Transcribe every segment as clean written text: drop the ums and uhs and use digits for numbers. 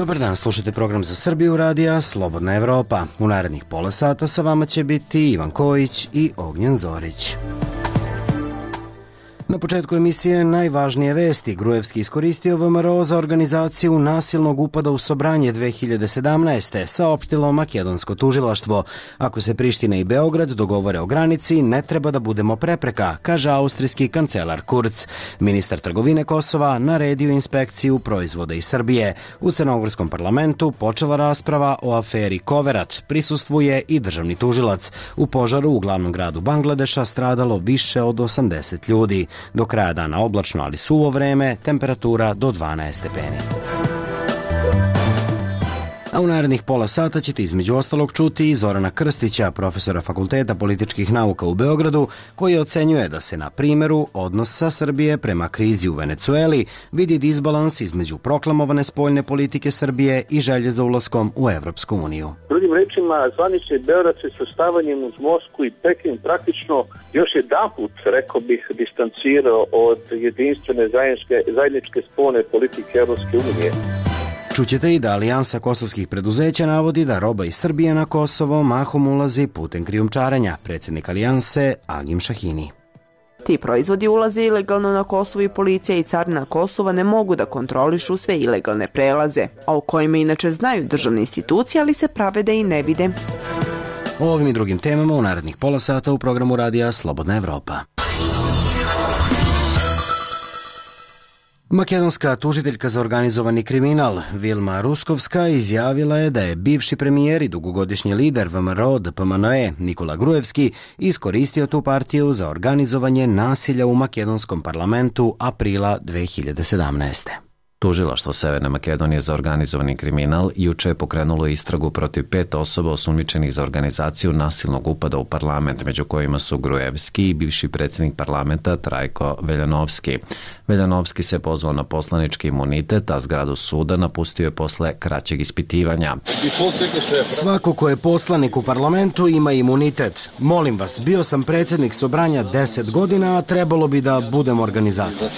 Dobar dan, slušajte program za Srbiju radija Slobodna Evropa. U narednih pola sata sa vama će biti Ivan Kojić i Ognjen Zorić. Na početku emisije najvažnije vesti. Gruevski iskoristio VMRO za organizaciju nasilnog upada u Sobranje 2017. saopštilo makedonsko tužilaštvo. Ako se Priština i Beograd dogovore o granici, ne treba da budemo prepreka, kaže austrijski kancelar Kurz. Ministar trgovine Kosova naredio inspekciju proizvoda iz Srbije. U crnogorskom parlamentu počela rasprava o aferi Koverat. Prisustvuje i državni tužilac. U požaru u glavnom gradu Bangladeša stradalo više od 80 ljudi. Do kraja dana oblačno, ali suvo vreme, temperatura do 12 stepeni. A u narednih pola sata ćete između ostalog čuti i Zorana Krstića, profesora Fakulteta političkih nauka u Beogradu, koji ocenjuje da se na primjeru odnosa Srbije prema krizi u Venecueli vidi disbalans između proklamovane spoljne politike Srbije i želje za ulaskom u Evropsku uniju. Drugim rečima, zvanični Beograd se sastavanjem uz Moskvu i Peking praktično još jedanput, rekao bih, distancirao od jedinstvene zajedničke spoljne politike Evropske unije. Čućete i da Alijansa kosovskih preduzeća navodi da roba iz Srbije na Kosovo mahom ulazi putem krijumčarenja, predsjednik Alijanse Agim Šahini. Ti proizvodi ulaze ilegalno na Kosovo i policija i carina Kosova ne mogu da kontrolišu sve ilegalne prelaze, a o kojima inače znaju državne institucije, ali se prave da i ne vide. O ovim i drugim temama u narednih pola sata u programu radija Slobodna Evropa. Makedonska tužiteljka za organizovani kriminal Vilma Ruskovska izjavila je da je bivši premijer i dugogodišnji lider VMRO DPMNE Nikola Gruevski iskoristio tu partiju za organizovanje nasilja u makedonskom parlamentu aprila 2017. Tužilaštvo Severne Makedonije za organizovani kriminal juče je pokrenulo istragu protiv 5 osoba osumnjičenih za organizaciju nasilnog upada u parlament, među kojima su Gruevski i bivši predsjednik parlamenta Trajko Veljanovski. Veljanovski se pozvao na poslanički imunitet, a zgradu suda napustio je posle kraćeg ispitivanja. Svako ko je poslanik u parlamentu ima imunitet. Molim vas, bio sam predsjednik Sobranja 10 godina, a trebalo bi da budem organizator.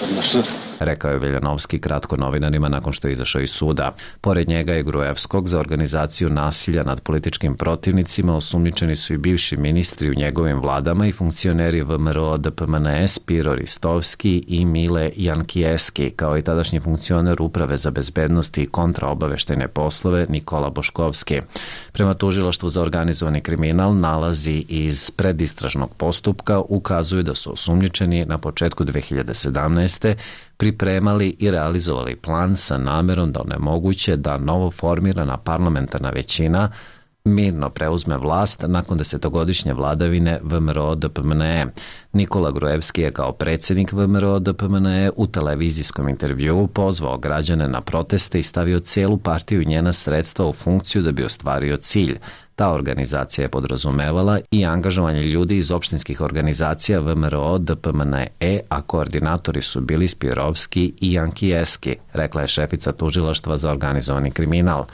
Rekao je Veljanovski kratko novinarima nakon što je izašao iz suda. Pored njega i Gruevskog za organizaciju nasilja nad političkim protivnicima osumnjičeni su i bivši ministri u njegovim vladama i funkcioneri VMRO DPMNE Spiro Ristovski i Mile Jankijeski, kao i tadašnji funkcioner Uprave za bezbednost i kontraobaveštajne poslove Nikola Boškovski. Prema tužilaštvu za organizovani kriminal nalazi iz predistražnog postupka ukazuju da su osumnjičeni na početku 2017. pripremali i realizovali plan sa namerom da onemoguće da novo formirana parlamentarna većina mirno preuzme vlast nakon 10-godišnje vladavine VMRO DPMNE. Nikola Gruevski je kao predsjednik VMRO DPMNE u televizijskom intervjuu pozvao građane na proteste i stavio cijelu partiju i njena sredstva u funkciju da bi ostvario cilj. Ta organizacija je podrazumevala i angažovanje ljudi iz opštinskih organizacija VMRO DPMNE, a koordinatori su bili Spirovski i Jankijeski, rekla je šefica tužilaštva za organizovani kriminal.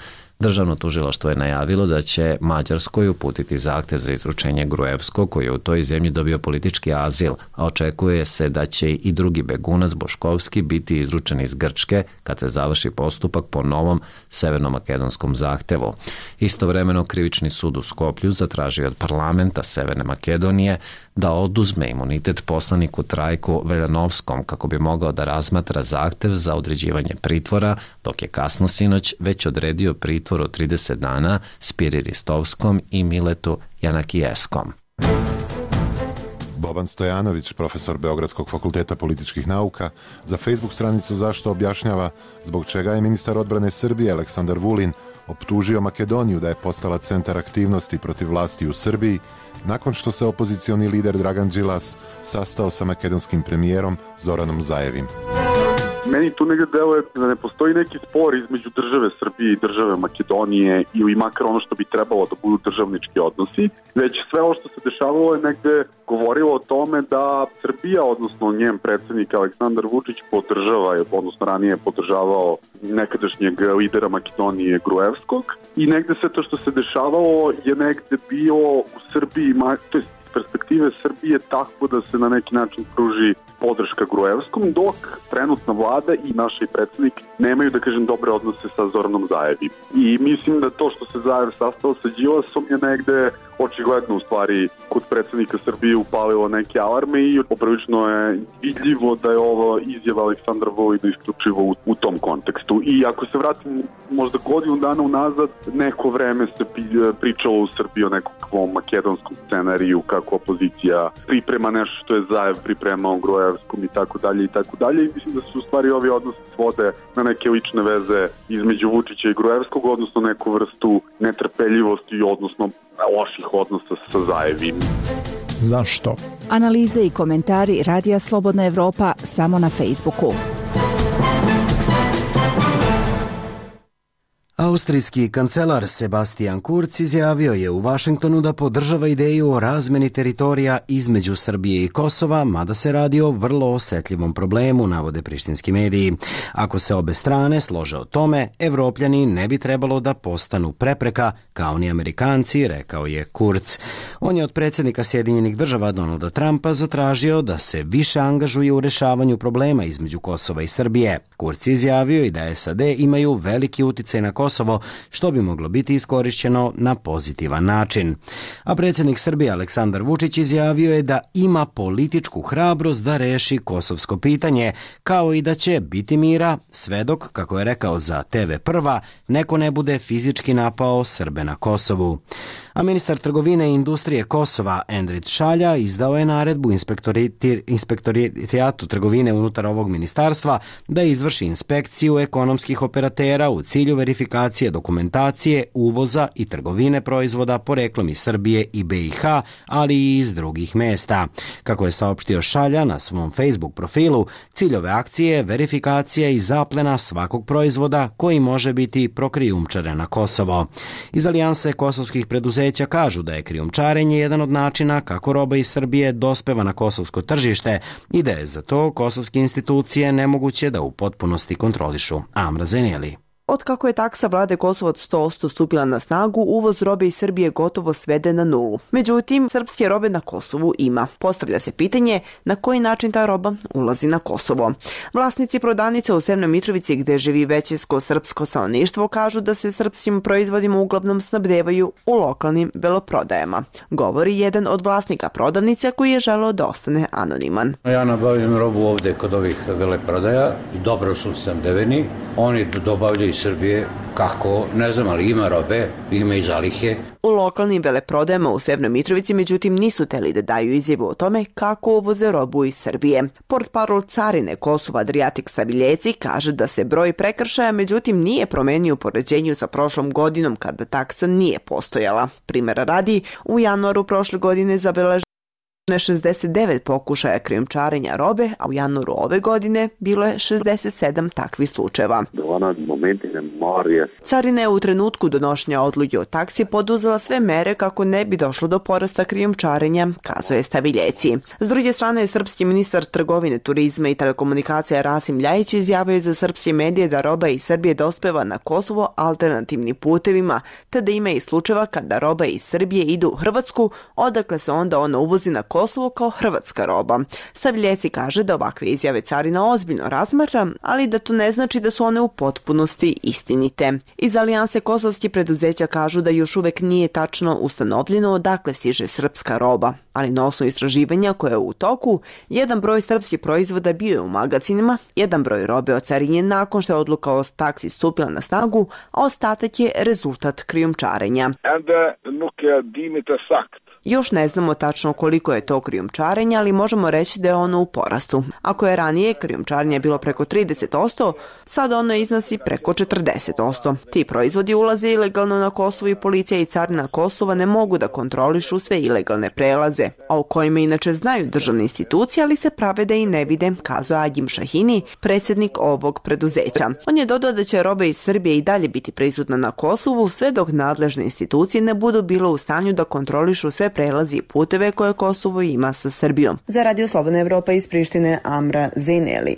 Državno tužilaštvo je najavilo da će Mađarskoj uputiti zahtjev za izručenje Gruevskog, koji je u toj zemlji dobio politički azil, a očekuje se da će i drugi begunac Boškovski biti izručen iz Grčke kad se završi postupak po novom severnomakedonskom zahtevu. Istovremeno krivični sud u Skoplju zatražio od parlamenta Severne Makedonije da oduzme imunitet poslaniku Trajku Veljanovskom kako bi mogao da razmatra zahtev za određivanje pritvora, dok je kasno sinoć već odredio pritvor od 30 dana Spiri Ristovskom i Miletu Janakijeskom. Boban Stojanović, profesor Beogradskog fakulteta političkih nauka, za Facebook stranicu Zašto objašnjava zbog čega je ministar odbrane Srbije Aleksandar Vulin optužio Makedoniju da je postala centar aktivnosti protiv vlasti u Srbiji nakon što se opozicioni lider Dragan Đilas sastao sa makedonskim premijerom Zoranom Zajevim. Meni tu negde deluje da ne postoji neki spor između države Srbije i države Makedonije ili makar ono što bi trebalo da budu državnički odnosi, već sve ovo što se dešavalo je negde govorilo o tome da Srbija, odnosno njen predsjednik Aleksandar Vučić podržava, odnosno ranije je podržavao nekadašnjeg lidera Makedonije Gruevskog i negde sve to što se dešavalo je negde bio u Srbiji, to je perspektive Srbije takvo da se na neki način pruži podrška Gruevskom, dok trenutna vlada i naš predsjednik nemaju, da kažem, dobre odnose sa Zoranom Zaevi. I mislim da to što se Zaev sastao sa Đilasom je negde očigledno u stvari kod predsjednika Srbije upalilo neke alarme i poprilično je vidljivo da je ovo izjava Aleksandra Vulina isključivo u tom kontekstu. I ako se vratim možda godinu dana unazad, neko vreme se pričalo u Srbiji o nekakvom makedonskom scenariju, kako opozicija priprema nešto što je Zaev pripremao Gruevskom i tako dalje i tako dalje. I mislim da su u stvari ovi odnosi svode na neke lične veze između Vučića i Gruevskog, odnosno neku vrstu netrpeljivosti, odnosno loših odnosa sa Zaevim. Zašto? Analize i komentari Radija Slobodna Evropa samo na Facebooku. Austrijski kancelar Sebastian Kurz izjavio je u Vašingtonu da podržava ideju o razmeni teritorija između Srbije i Kosova, mada se radi o vrlo osetljivom problemu, navode prištinski mediji. Ako se obe strane slože o tome, Evropljani ne bi trebalo da postanu prepreka, kao ni Amerikanci, rekao je Kurz. On je od predsjednika Sjedinjenih država Donalda Trumpa zatražio da se više angažuje u rešavanju problema između Kosova i Srbije. Kurz izjavio i da SAD imaju veliki uticaj na Kosovo, što bi moglo biti iskorišćeno na pozitivan način. A predsjednik Srbije Aleksandar Vučić izjavio je da ima političku hrabrost da reši kosovsko pitanje, kao i da će biti mira sve dok, kako je rekao za TV Prva, neko ne bude fizički napao Srbe na Kosovu. A ministar trgovine i industrije Kosova Endrit Šalja izdao je naredbu inspektorijatu trgovine unutar ovog ministarstva da izvrši inspekciju ekonomskih operatera u cilju verifikacije dokumentacije, uvoza i trgovine proizvoda poreklom iz Srbije i BiH, ali i iz drugih mesta. Kako je saopštio Šalja na svom Facebook profilu, cilj ove akcije je verifikacija i zaplena svakog proizvoda koji može biti prokrijumčaren na Kosovo. Iz Alijanse kosovskih preduzeća kažu da je krijumčarenje jedan od načina kako roba iz Srbije dospeva na kosovsko tržište i da je za to kosovske institucije nemoguće da u potpunosti kontrolišu. Amra Zeneli. Od kako je taksa vlade Kosova od 100% stupila na snagu, uvoz robe iz Srbije gotovo svede na nulu. Međutim, srpske robe na Kosovu ima. Postavlja se pitanje na koji način ta roba ulazi na Kosovo. Vlasnici prodavnice u Sevnoj Mitrovici, gde živi većinsko srpsko stanovništvo, kažu da se srpskim proizvodima uglavnom snabdevaju u lokalnim veloprodajama. Govori jedan od vlasnika prodavnice koji je želeo da ostane anoniman. Ja nabavljam robu ovde kod ovih veleprodaja, dobro su snabdeveni, oni dobavljaju Srbije, kako, ne znam, ali ima robe, ima i zalihe. U lokalnim veleprodajama u Sevnoj Mitrovici, međutim, nisu teli da daju izjavu o tome kako uvoze robu iz Srbije. Portparol carine Kosova Adriatik Stabiljeci kaže da se broj prekršaja, međutim, nije promenio u poređenju sa prošlom godinom kada taksa nije postojala. Primjera radi, u januaru prošle godine zabeleženo 69 pokušaja krijumčarenja robe, a u januaru ove godine bilo je 67 takvih slučajeva. Carina je u trenutku donošenja odluke o taksi poduzela sve mere kako ne bi došlo do porasta krijumčarenja, kazuje Staviljeci. S druge strane, srpski ministar trgovine, turizma i telekomunikacija Rasim Ljajić izjavio za srpske medije da roba iz Srbije dospeva na Kosovo alternativnim putevima, te da ima i slučajeva kada roba iz Srbije ide u Hrvatsku, odakle se onda ona uvozi na Kosovo kao hrvatska roba. Staviljeci kaže da ovakve izjave carina ozbiljno razmatra, ali da to ne znači da su one u potpunosti istinite. Iz Alijanse kosovskih preduzeća kažu da još uvek nije tačno ustanovljeno odakle stiže srpska roba, ali na osnovu istraživanja koje je u toku, jedan broj srpskih proizvoda bio je u magacinima, jedan broj robe ocarinjen nakon što je odluka o taksi stupila na snagu, a ostatak je rezultat krijumčarenja. Još ne znamo tačno koliko je to krijumčarenja, ali možemo reći da je ono u porastu. Ako je ranije krijumčarenje bilo preko 30%, sad ono iznosi preko 40%. Ti proizvodi ulaze ilegalno na Kosovo i policija i carina Kosova ne mogu da kontrolišu sve ilegalne prelaze, a o kojima inače znaju državne institucije, ali se prave da i ne vide, kazuje Agim Šahini, predsjednik ovog preduzeća. On je dodao da će roba iz Srbije i dalje biti prisutna na Kosovu sve dok nadležne institucije ne budu bilo u stanju da kontrolišu sve prelazi i puteve koje Kosovo ima sa Srbijom. Za Radio Slobodna Evropa iz Prištine, Amra Zeneli.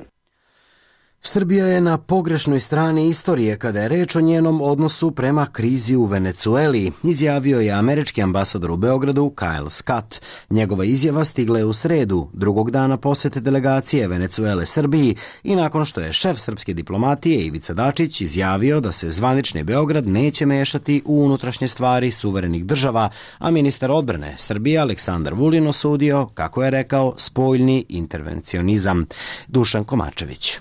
Srbija je na pogrešnoj strani istorije kada je reč o njenom odnosu prema krizi u Venecueli, izjavio je američki ambasador u Beogradu Kyle Scott. Njegova izjava stigla je u sredu, drugog dana posete delegacije Venecuele Srbiji i nakon što je šef srpske diplomatije Ivica Dačić izjavio da se zvanični Beograd neće mešati u unutrašnje stvari suverenih država, a ministar odbrane Srbije Aleksandar Vulin osudio, kako je rekao, spoljni intervencionizam. Dušan Komarčević.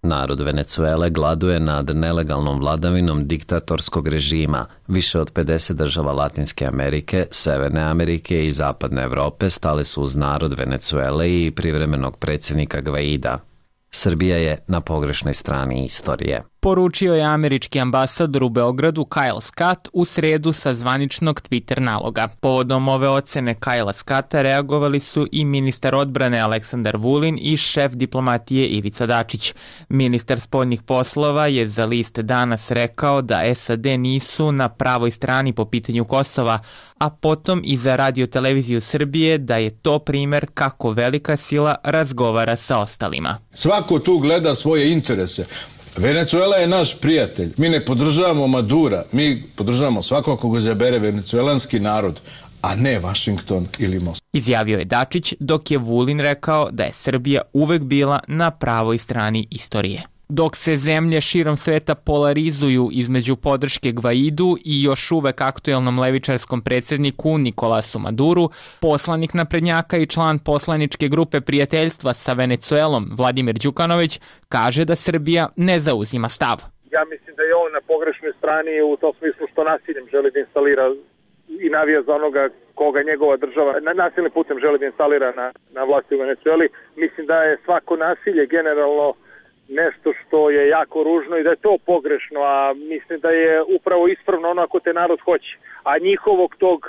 Narod Venecuele gladuje nad nelegalnom vladavinom diktatorskog režima. Više od 50 država Latinske Amerike, Severne Amerike i Zapadne Evrope stale su uz narod Venecuele i privremenog predsjednika Gvaida. Srbija je na pogrešnoj strani istorije. Poručio je američki ambasador u Beogradu Kyle Scott u sredu sa zvaničnog Twitter naloga. Povodom ove ocene Kyla Scotta reagovali su i ministar odbrane Aleksandar Vulin i šef diplomatije Ivica Dačić. Ministar spoljnih poslova je za list Danas rekao da SAD nisu na pravoj strani po pitanju Kosova, a potom i za Radio-televiziju Srbije da je to primer kako velika sila razgovara sa ostalima. Svako tu gleda svoje interese. Venecuela je naš prijatelj. Mi ne podržavamo Madura, mi podržavamo svakog koga zabere venecuelanski narod, a ne Washington ili Moskva. Izjavio je Dačić, dok je Vulin rekao da je Srbija uvek bila na pravoj strani istorije. Dok se zemlje širom sveta polarizuju između podrške Gvaidu i još uvek aktuelnom levičarskom predsjedniku Nikolasu Maduru, poslanik naprednjaka i član poslaničke grupe prijateljstva sa Venecuelom Vladimir Đukanović kaže da Srbija ne zauzima stav. Ja mislim da je on na pogrešnoj strani u tom smislu što nasiljem želi da instalira i navija za onoga koga njegova država nasilnim putem želi da instalira na vlasti u Venecueli. Mislim da je svako nasilje generalno nešto što je jako ružno i da je to pogrešno, a mislim da je upravo ispravno ono ako te narod hoće. A njihovog tog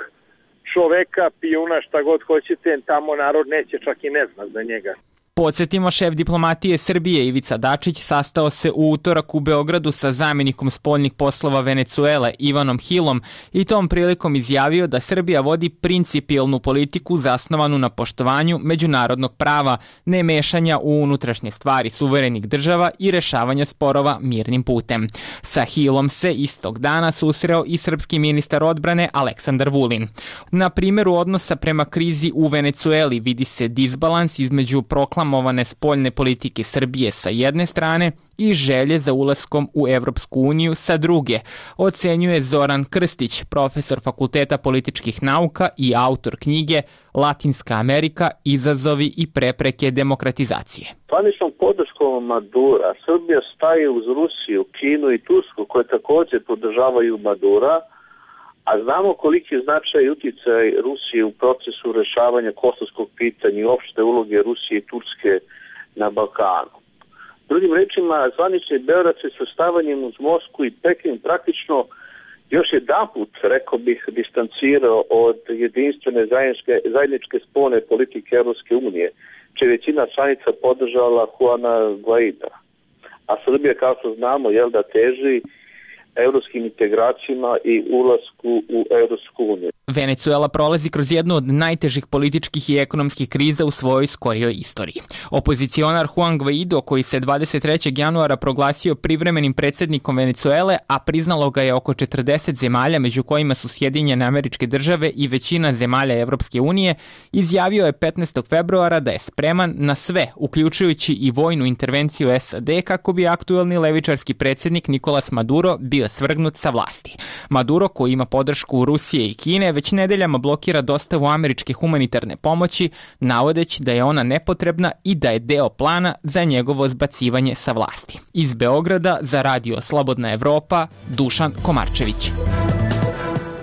čoveka, pijuna, šta god hoćete, tamo narod neće, čak i ne zna za njega. Podsjetimo, šef diplomatije Srbije Ivica Dačić sastao se u utorak u Beogradu sa zamjenikom spoljnih poslova Venecuele Ivanom Hillom i tom prilikom izjavio da Srbija vodi principijelnu politiku zasnovanu na poštovanju međunarodnog prava, ne mešanja u unutrašnje stvari suverenih država i rešavanja sporova mirnim putem. Sa Hillom se istog dana susreo i srpski ministar odbrane Aleksandar Vulin. Na primjeru odnosa prema krizi u Venecueli vidi se disbalans između proklamovane spoljne politike Srbije sa jedne strane i želje za ulaskom u Evropsku uniju sa druge, ocenjuje Zoran Krstić, profesor Fakulteta političkih nauka i autor knjige Latinska Amerika, izazovi i prepreke demokratizacije. Zvaničnom podrškom Madura Srbija staje uz Rusiju, Kinu i Tursku koje također podržavaju Madura, a znamo koliki je značaj i uticaj Rusije u procesu rešavanja kosovskog pitanja i opšte uloge Rusije i Turske na Balkanu. Drugim rečima, zvanični Beograd se sastavanjem uz Moskvu i Peking praktično još jedanput, rekao bih, distancirao od jedinstvene zajedničke spoljne politike Evropske unije, čija većina članica podržala Juana Guaida. A Srbija, kao što znamo, da teži evropskim integracijama i ulasku u Evropsku uniju. Venecuela prolazi kroz jednu od najtežih političkih i ekonomskih kriza u svojoj skorijoj istoriji. Opozicionar Juan Guaido, koji se 23. januara proglasio privremenim predsjednikom Venecuele, a priznalo ga je oko 40 zemalja, među kojima su Sjedinjene Američke Države i većina zemalja Evropske unije, izjavio je 15. februara da je spreman na sve, uključujući i vojnu intervenciju SAD, kako bi aktuelni levičarski predsjednik Nicolas Maduro bio svrgnut sa vlasti. Maduro, koji ima podršku Rusije i Kine, već nedeljama blokira dostavu američke humanitarne pomoći, navodeći da je ona nepotrebna i da je deo plana za njegovo zbacivanje sa vlasti. Iz Beograda za Radio Slobodna Evropa, Dušan Komarčević.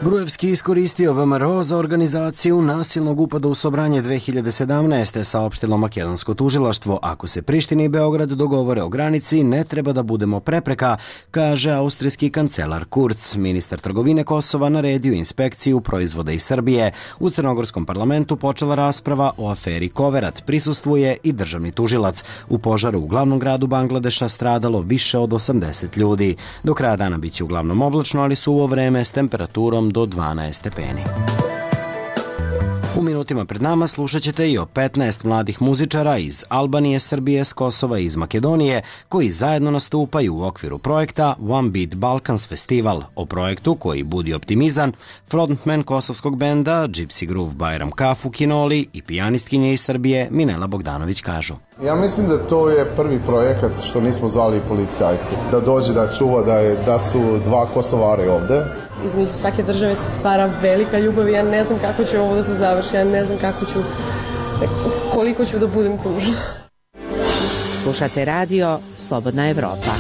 Gruevski iskoristio VMRO za organizaciju nasilnog upada u Sobranje 2017. saopštilo makedonsko tužilaštvo. Ako se Priština i Beograd dogovore o granici, ne treba da budemo prepreka, kaže austrijski kancelar Kurz. Ministar trgovine Kosova naredio inspekciju proizvoda iz Srbije. U crnogorskom parlamentu počela rasprava o aferi Koverat. Prisustvuje i državni tužilac. U požaru u glavnom gradu Bangladeša stradalo više od 80 ljudi. Do kraja dana biće uglavnom oblačno, ali suvo vreme s temperaturom do 12 stepeni. U minutima pred nama slušat ćete i o 15 mladih muzičara iz Albanije, Srbije, s Kosova i iz Makedonije koji zajedno nastupaju u okviru projekta One Beat Balkans Festival. O projektu koji budi optimizam, frontman kosovskog benda Gypsy Groove Bajram Kafu Kinoli i pijanistkinje iz Srbije Minela Bogdanović kažu. Ja mislim da to je prvi projekat što nismo zvali policajci. Da dođe da čuva da su dva Kosovare ovde. Između svake države se stvara velika ljubav i ja ne znam kako će ovo da se završi, ja ne znam koliko ću da budem tužna. Slušate radio Slobodna Evropa.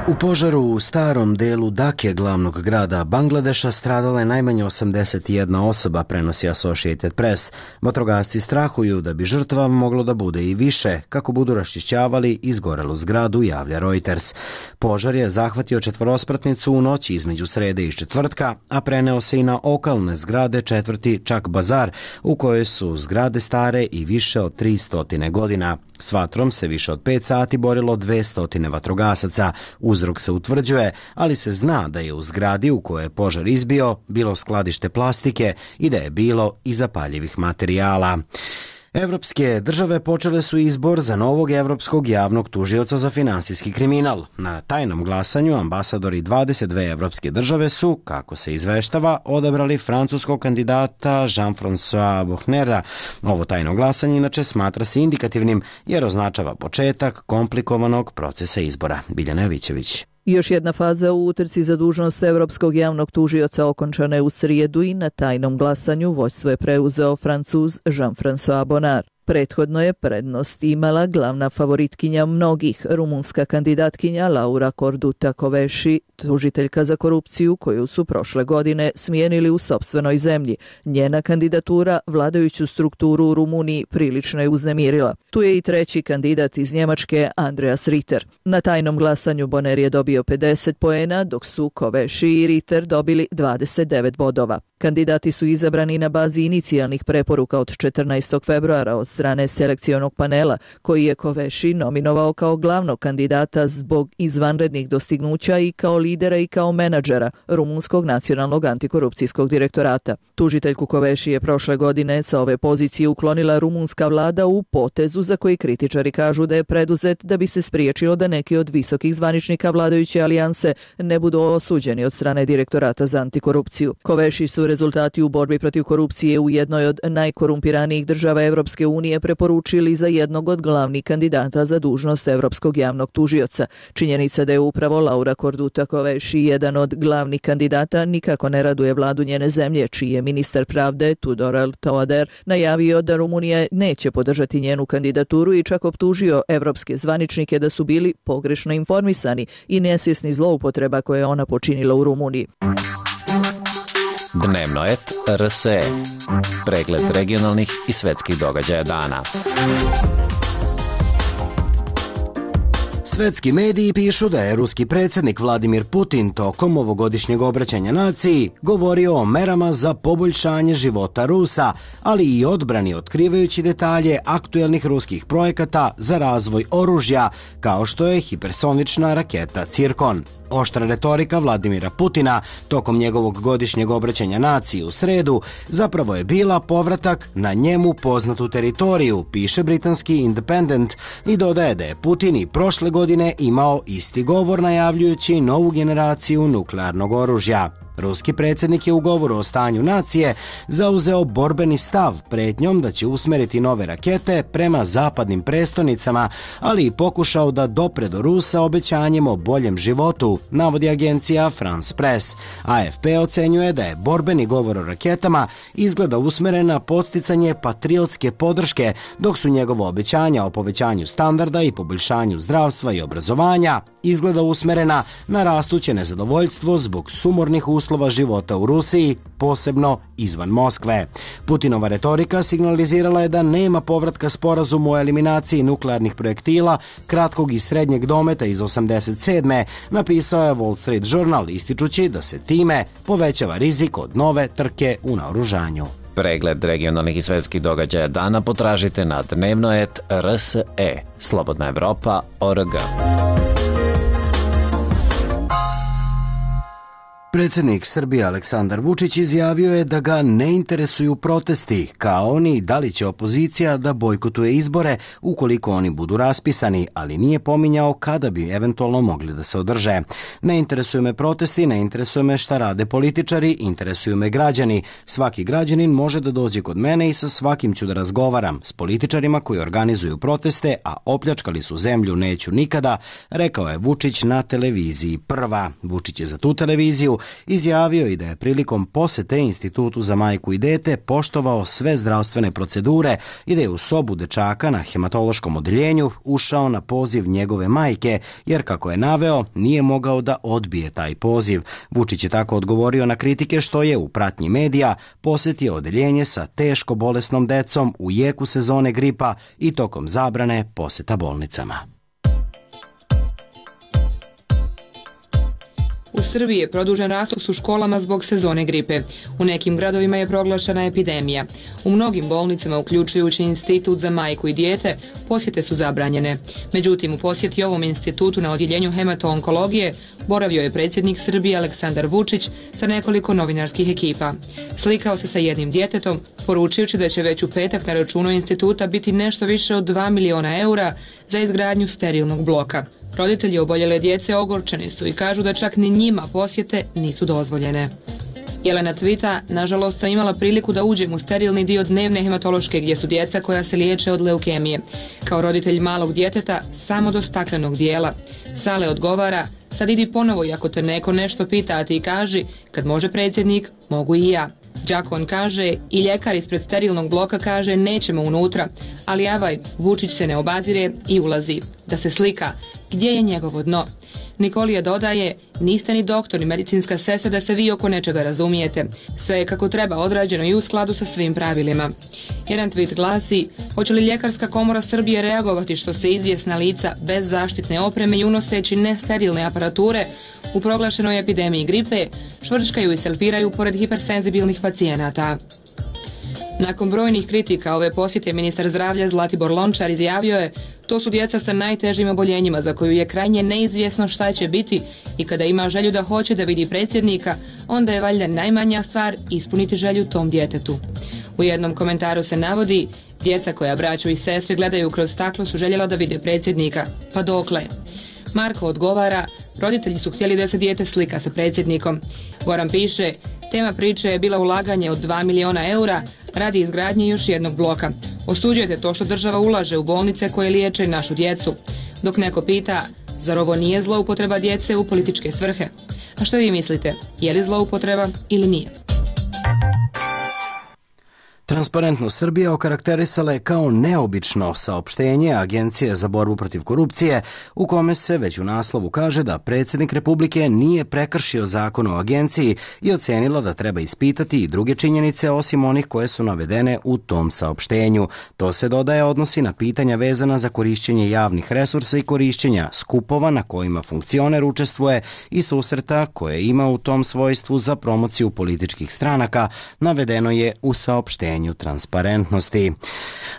U požaru u starom delu Dake, glavnog grada Bangladeša, stradala je najmanje 81 osoba, prenosi Associated Press. Vatrogasci strahuju da bi žrtva moglo da bude i više, kako budu raščišćavali izgorelu zgradu, javlja Reuters. Požar je zahvatio četvorospratnicu u noći između srede i četvrtka, a preneo se i na okolne zgrade četvrti Čak Bazar, u kojoj su zgrade stare i više od 300 godina. S vatrom se više od 5 sati borilo 200 vatrogasaca. Uzrok se utvrđuje, ali se zna da je u zgradi u kojoj je požar izbio bilo skladište plastike i da je bilo i zapaljivih materijala. Evropske države počele su izbor za novog evropskog javnog tužioca za finansijski kriminal. Na tajnom glasanju ambasadori 22 evropske države su, kako se izveštava, odabrali francuskog kandidata Jean-François Bochnera. Ovo tajno glasanje inače smatra se indikativnim jer označava početak komplikovanog procesa izbora. Biljana Jovićević. Još jedna faza u utrci za dužnost evropskog javnog tužioca okončana je u srijedu i na tajnom glasanju vođstvo je preuzeo Francuz Jean-François Bonnard. Prethodno je prednost imala glavna favoritkinja mnogih, rumunska kandidatkinja Laura Corduta Kövesi, tužiteljka za korupciju koju su prošle godine smijenili u sopstvenoj zemlji. Njena kandidatura vladajuću strukturu u Rumuniji prilično je uznemirila. Tu je i treći kandidat iz Njemačke, Andreas Ritter. Na tajnom glasanju Bonner je dobio 50 poena, dok su Kövesi i Ritter dobili 29 bodova. Kandidati su izabrani na bazi inicijalnih preporuka od 14. februara od strane selekcionog panela, koji je Kövesi nominovao kao glavnog kandidata zbog izvanrednih dostignuća i kao lidera i kao menadžera Rumunskog nacionalnog antikorupcijskog direktorata. Tužiteljku Kövesi je prošle godine sa ove pozicije uklonila rumunska vlada u potezu za koji kritičari kažu da je preduzet da bi se spriječilo da neki od visokih zvaničnika vladajuće alijanse ne budu osuđeni od strane direktorata za antikorupciju. Kövesi su rezultati u borbi protiv korupcije u jednoj od najkorumpiranijih država Evropske unije preporučili za jednog od glavnih kandidata za dužnost evropskog javnog tužioca. Činjenica da je upravo Laura Corduta Kövesi jedan od glavnih kandidata nikako ne raduje vladu njene zemlje, čiji je ministar pravde Tudorel Toader najavio da Rumunija neće podržati njenu kandidaturu i čak optužio evropske zvaničnike da su bili pogrešno informisani i nesvjesni zloupotreba koje je ona počinila u Rumuniji. Dnevno et RSE. Pregled regionalnih i svetskih događaja dana. Svetski mediji pišu da je ruski predsjednik Vladimir Putin tokom ovogodišnjeg obraćanja naciji govorio o merama za poboljšanje života Rusa, ali i odbrani otkrivajući detalje aktuelnih ruskih projekata za razvoj oružja, kao što je hipersonična raketa Cirkon. Oštra retorika Vladimira Putina tokom njegovog godišnjeg obraćanja naciji u sredu zapravo je bila povratak na njemu poznatu teritoriju, piše britanski Independent i dodaje da je Putin i prošle godine imao isti govor najavljujući novu generaciju nuklearnog oružja. Ruski predsjednik je u govoru o stanju nacije zauzeo borbeni stav pretnjom da će usmeriti nove rakete prema zapadnim prestonicama, ali i pokušao da dopre do Rusa obećanjem o boljem životu, navodi agencija France Press. AFP ocenjuje da je borbeni govor o raketama izgleda usmeren na podsticanje patriotske podrške, dok su njegova obećanja o povećanju standarda i poboljšanju zdravstva i obrazovanja izgleda usmerena na rastuće nezadovoljstvo zbog sumornih uslova života u Rusiji, posebno izvan Moskve. Putinova retorika signalizirala je da nema povratka sporazumu o eliminaciji nuklearnih projektila kratkog i srednjeg dometa iz 87. napisao je Wall Street Journal, ističući da se time povećava rizik od nove trke u naoružanju. Pregled regionalnih i svetskih događaja dana potražite na dnevno.rs.e. Slobodna Evropa.org. Predsjednik Srbije Aleksandar Vučić izjavio je da ga ne interesuju protesti, kao ni da li će opozicija da bojkotuje izbore ukoliko oni budu raspisani, ali nije pominjao kada bi eventualno mogli da se održe. Ne interesuju me protesti, ne interesuju me šta rade političari, interesuju me građani. Svaki građanin može da dođe kod mene i sa svakim ću da razgovaram. S političarima koji organizuju proteste, a opljačkali su zemlju neću nikada, rekao je Vučić na televiziji Prva. Vučić je za tu televiziju izjavio i da je prilikom posete Institutu za majku i dete poštovao sve zdravstvene procedure i da je u sobu dečaka na hematološkom odeljenju ušao na poziv njegove majke, jer kako je naveo, nije mogao da odbije taj poziv. Vučić je tako odgovorio na kritike što je u pratnji medija posetio odeljenje sa teško bolesnom decom u jeku sezone gripa i tokom zabrane poseta bolnicama. U Srbiji je produžen rastos u školama zbog sezone gripe. U nekim gradovima je proglašena epidemija. U mnogim bolnicama, uključujući Institut za majku i dijete, posjete su zabranjene. Međutim, u posjeti ovom institutu na odjeljenju hemato-onkologije boravio je predsjednik Srbije Aleksandar Vučić sa nekoliko novinarskih ekipa. Slikao se sa jednim djetetom, poručujući da će već u petak na računu instituta biti nešto više od 2 miliona eura za izgradnju sterilnog bloka. Roditelji oboljele djece ogorčeni su i kažu da čak ni njima posjete nisu dozvoljene. Jelena tvita, nažalost sam imala priliku da uđem u sterilni dio dnevne hematološke gdje su djeca koja se liječe od leukemije. Kao roditelj malog djeteta samo do staklenog dijela. Sale odgovara, sad idi ponovo i ako te neko nešto pita, a ti kaži, kad može predsjednik, mogu i ja. Đakon kaže i ljekar ispred sterilnog bloka kaže nećemo unutra, ali avaj, Vučić se ne obazire i ulazi. Da se slika, gdje je njegovo dno? Nikolija dodaje, niste ni doktor ni medicinska sestra da se vi oko nečega razumijete. Sve je kako treba odrađeno i u skladu sa svim pravilima. Jedan tweet glasi, hoće li Ljekarska komora Srbije reagovati što se izvjesna lica bez zaštitne opreme i unoseći nesterilne aparature u proglašenoj epidemiji gripe švrčkaju i selfiraju pored hipersenzibilnih pacijenata. Nakon brojnih kritika ove posjete ministar zdravlja Zlatibor Lončar izjavio je, to su djeca sa najtežim oboljenjima za koju je krajnje neizvjesno šta će biti i kada ima želju da hoće da vidi predsjednika, onda je valjda najmanja stvar ispuniti želju tom djetetu. U jednom komentaru se navodi, djeca koja braću i sestre gledaju kroz staklo su željela da vide predsjednika. Pa dokle? Marko odgovara, roditelji su htjeli da se dijete slika sa predsjednikom. Goran piše, tema priče je bila ulaganje od 2 miliona eura radi izgradnje još jednog bloka. Osuđujete to što država ulaže u bolnice koje liječe našu djecu. Dok neko pita, zar ovo nije zloupotreba djece u političke svrhe? A što vi mislite, je li zloupotreba ili nije? Transparentnost Srbije okarakterisala je kao neobično saopštenje Agencije za borbu protiv korupcije, u kome se već u naslovu kaže da predsjednik Republike nije prekršio zakon o agenciji i ocenila da treba ispitati i druge činjenice osim onih koje su navedene u tom saopštenju. To se dodaje odnosi na pitanja vezana za korišćenje javnih resursa i korišćenja skupova na kojima funkcioner učestvuje i susreta koje ima u tom svojstvu za promociju političkih stranaka, navedeno je u saopštenju transparentnosti.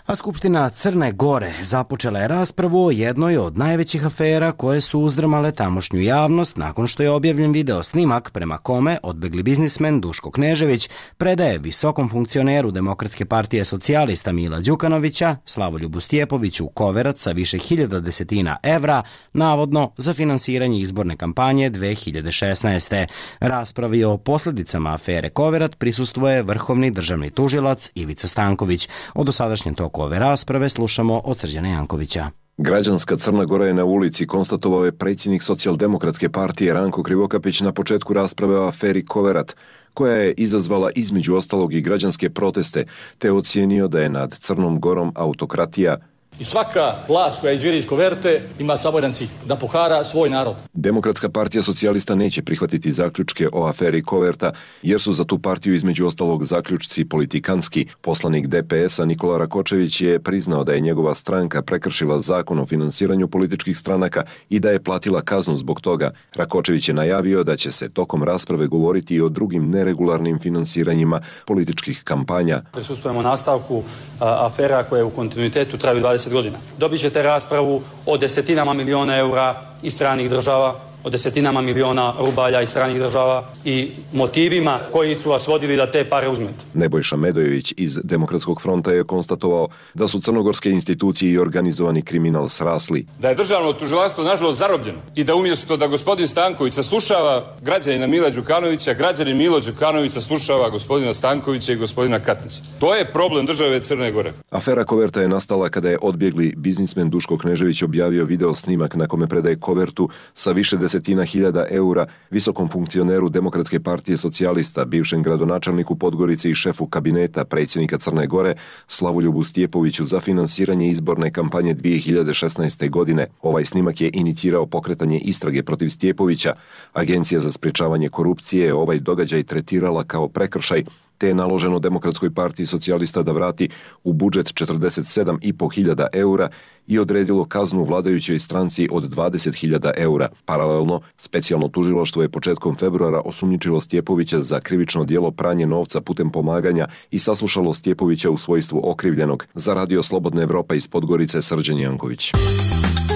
A Skupština Crne Gore započela je raspravu o jednoj od najvećih afera koje su uzdrmale tamošnju javnost nakon što je objavljen video snimak prema kome odbegli biznismen Duško Knežević predaje visokom funkcioneru Demokratske partije socijalista Mila Đukanovića, Slavoljubu Stjepoviću, koverac sa više hiljada desetina evra, navodno za finansiranje izborne kampanje 2016. Raspravi o posljedicama afere koverat prisustvuje vrhovni državni tužilac Ivica Stanković. O dosadašnjem toku ove rasprave slušamo od Srđana Jankovića. Građanska Crna Gora je na ulici, konstatovao je predsjednik Socijaldemokratske partije Ranko Krivokapić na početku rasprave o aferi Koverat, koja je izazvala između ostalog i građanske proteste, te ocijenio da je nad Crnom Gorom autokratija. I svaka vlast koja izvire iz koverte ima samo jedan cilj, da pohara svoj narod. Demokratska partija socijalista neće prihvatiti zaključke o aferi Koverta, jer su za tu partiju između ostalog zaključci politikanski. Poslanik DPS-a Nikola Rakočević je priznao da je njegova stranka prekršila zakon o finansiranju političkih stranaka i da je platila kaznu zbog toga. Rakočević je najavio da će se tokom rasprave govoriti i o drugim neregularnim finansiranjima političkih kampanja. Prisustvujemo nastavku afera koje u kontinuitetu traju 20 godina. Dobit ćete raspravu o desetinama miliona eura iz stranih država, o desetinama miliona rubalja iz stranih država i motivima koji su vas vodili da te pare uzmete. Nebojša Medojević iz Demokratskog fronta je konstatovao da su crnogorske institucije i organizovani kriminal srasli. Da je državno tužilaštvo nažalost zarobljeno i da umjesto da gospodin Stanković saslušava građanina Mila Đukanovića, građanin Milo Đukanović saslušava gospodina Stankovića i gospodina Katnića. To je problem države Crne Gore. Afera koverta je nastala kada je odbjegli biznismen Duško Knežević objavio video snimak na kome predaje kovertu sa više desetina hiljada eura visokom funkcioneru Demokratske partije socijalista, bivšem gradonačelniku Podgorice i šefu kabineta predsjednika Crne Gore Slavoljubu Stjepoviću za finansiranje izborne kampanje 2016. godine. Ovaj snimak je inicirao pokretanje istrage protiv Stjepovića. Agencija za sprečavanje korupcije ovaj događaj tretirala kao prekršaj, te je naloženo Demokratskoj partiji socijalista da vrati u budžet 47.500 eura i odredilo kaznu vladajućoj stranci od 20.000 eura. Paralelno, specijalno tužilaštvo je početkom februara osumnjičilo Stjepovića za krivično djelo pranje novca putem pomaganja i saslušalo Stjepovića u svojstvu okrivljenog. Za Radio Slobodna Evropa iz Podgorice, Srđan Janković.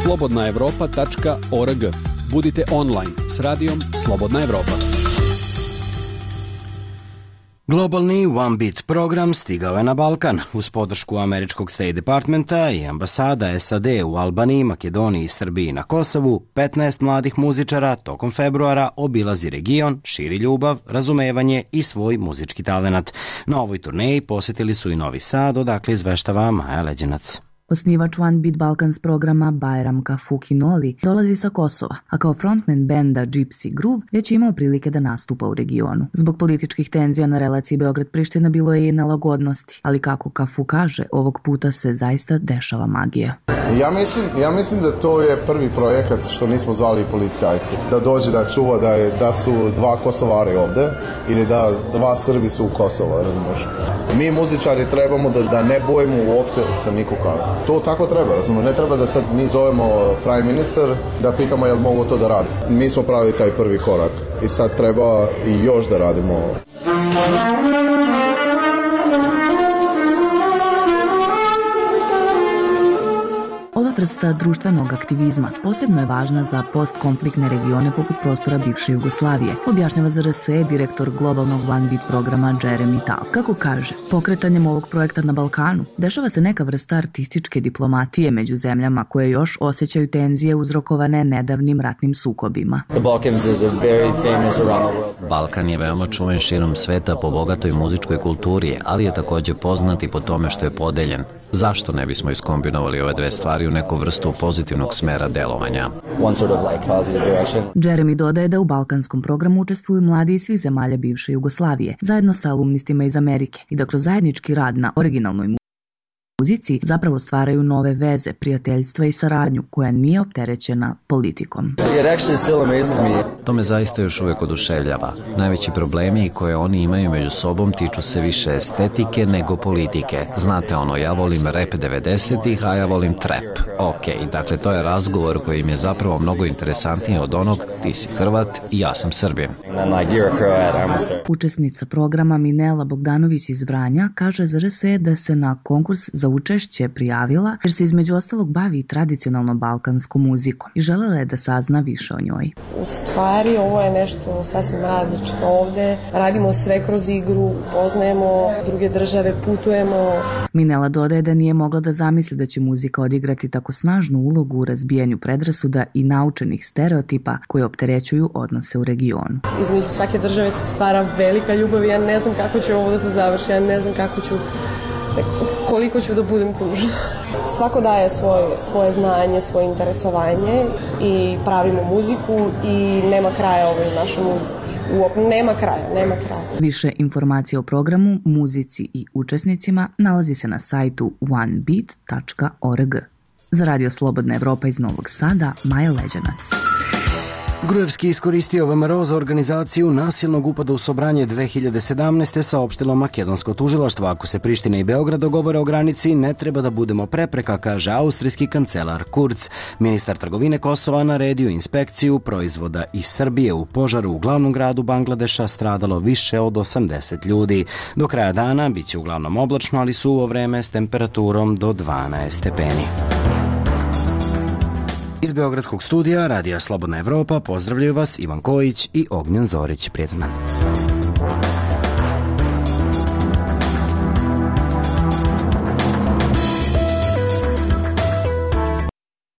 slobodnaevropa.org. Budite online s radijom Slobodna Evropa. Globalni One Beat program stigao je na Balkan uz podršku američkog State Departmenta i ambasada SAD u Albaniji, Makedoniji, Srbiji i na Kosovu. 15 mladih muzičara tokom februara obilazi region, širi ljubav, razumevanje i svoj muzički talenat. Na ovoj turneji posjetili su i Novi Sad, odakle izveštava Maja Leđenac. Osnivač One Beat Balkans programa Bajram Kafukinoli dolazi sa Kosova, a kao frontman benda Gypsy Groove već imao prilike da nastupa u regionu. Zbog političkih tenzija na relaciji Beograd-Priština bilo je i nelagodnosti, ali kako Kafu kaže, ovog puta se zaista dešava magija. Ja mislim da to je prvi projekat što nismo zvali policajci. Da dođe da čuva da su dva Kosovari ovde ili da dva Srbi su u Kosovo, razumiješ? Mi muzičari trebamo da ne bojimo uopšte sa nikoga. To tako treba, razumiješ? Ne treba da sad mi zovemo prime minister da pitamo jel mogu to da radi. Mi smo pravili taj prvi korak i sad treba i još da radimo. Ova vrsta društvenog aktivizma posebno je važna za postkonfliktne regione poput prostora bivše Jugoslavije, objašnjava za RSE direktor globalnog One Beat programa Jeremy Tal. Kako kaže, pokretanjem ovog projekta na Balkanu dešava se neka vrsta artističke diplomatije među zemljama koje još osjećaju tenzije uzrokovane nedavnim ratnim sukobima. Balkan je veoma čuven širom sveta po bogatoj muzičkoj kulturi, ali je također poznat i po tome što je podeljen. Zašto ne bismo iskombinovali ove dve stvari u neku vrstu pozitivnog smera delovanja? Jeremy dodaje da u balkanskom programu učestvuju mladi iz svih zemalja bivše Jugoslavije, zajedno sa alumnistima iz Amerike i da kroz zajednički rad na originalnoj muzici zapravo stvaraju nove veze, prijateljstva i saradnju koja nije opterećena politikom. To me zaista još uvijek oduševljava. Najveći problemi koje oni imaju među sobom tiču se više estetike nego politike. Znate ono, ja volim rap 90-ih, a ja volim trap. Ok, dakle to je razgovor koji im je zapravo mnogo interesantniji od onog ti si Hrvat i ja sam Srbin. Učesnica programa Minela Bogdanović iz Vranja kaže za RSE da se na konkurs za učešće prijavila jer se između ostalog bavi tradicionalno balkanskom muzikom i želela je da sazna više o njoj. U stvari ovo je nešto sasvim različito ovde. Radimo sve kroz igru, poznajemo druge države, putujemo. Minela dodaje da nije mogla da zamisli da će muzika odigrati tako snažnu ulogu u razbijanju predrasuda i naučenih stereotipa koji opterećuju odnose u regionu. Između svake države se stvara velika ljubav i ja ne znam kako će ovo da se završi, ja ne znam koliko ću da budem tužna. Svako daje svoje znanje, svoje interesovanje i pravimo muziku i nema kraja ovoj našoj muzici. Nema kraja. Više informacija o programu, muzici i učesnicima nalazi se na sajtu onebeat.org. Za Radio Slobodna Evropa iz Novog Sada, Maja Leđenac. Gruevski iskoristio VMRO za organizaciju nasilnog upada u Sobranje 2017. saopštilo makedonsko tužilaštvo. Ako se Priština i Beograd dogovore o granici, ne treba da budemo prepreka, kaže austrijski kancelar Kurz. Ministar trgovine Kosova naredio inspekciju proizvoda iz Srbije. U požaru u glavnom gradu Bangladeša stradalo više od 80 ljudi. Do kraja dana bit će uglavnom oblačno, ali suvo vreme s temperaturom do 12 stepeni. Iz Beogradskog studija Radija Slobodna Evropa pozdravljaju vas Ivan Kojić i Ognjen Zorić. Prijetan dan.